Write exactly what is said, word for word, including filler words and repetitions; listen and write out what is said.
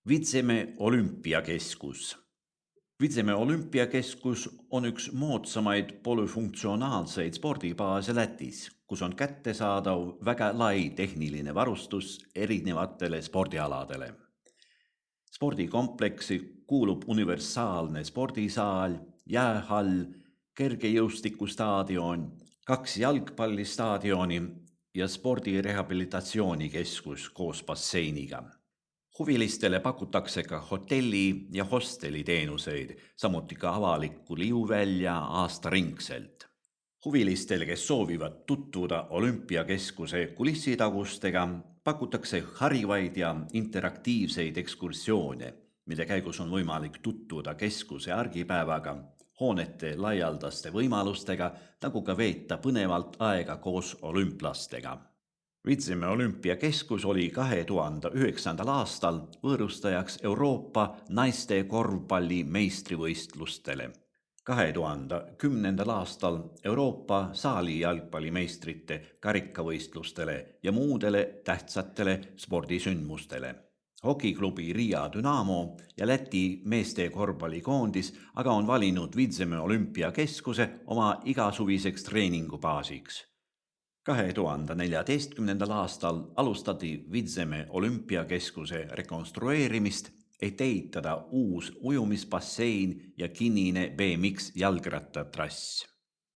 Vitseme olümpiakeskus. Vitseme olümpiakeskus on üks moodsamaid polüfunktsionaalseid spordibaase Lätis, kus on kättesaadav väga lai tehniline varustus erinevatele spordialadele. Spordikompleksi kuulub universaalne spordisaal, jäähall, kergejõustikustaadion, kaks jalgpallistaadioni ja spordirehabilitatsioonikeskus koos basseiniga. Huvilistele pakutakse ka hotelli- ja hosteliteenuseid, samuti ka avalikku liuvälja aastaringselt. Huvilistele, kes soovivad tutvuda olümpiakeskuse kulissitagustega, pakutakse harivaid ja interaktiivseid ekskursioone, mille käigus on võimalik tutvuda keskuse argipäevaga, hoonete laialdaste võimalustega, nagu ka veeta põnevalt aega koos olümplastega. Vitseme olümpiakeskus oli kahe tuhande üheksandal aastal võõrustajaks Euroopa naiste korvpalli meistrivõistlustele, kahe tuhande kümnendal aastal Euroopa saalijalgpallimeistrite karikavõistlustele ja muudele tähtsatele spordisündmustele. Hokiklubi Riia Dynamo ja Läti meeste korvpallikoondis aga on valinud Vitseme olümpiakeskuse oma igasuviseks treeningubaasiks. kahe tuhande neljateistkümnendal aastal alustati Vitseme olümpiakeskuse rekonstrueerimist, et ehitada uus ujumisbassein ja kinnine B M X jalgrattatrass.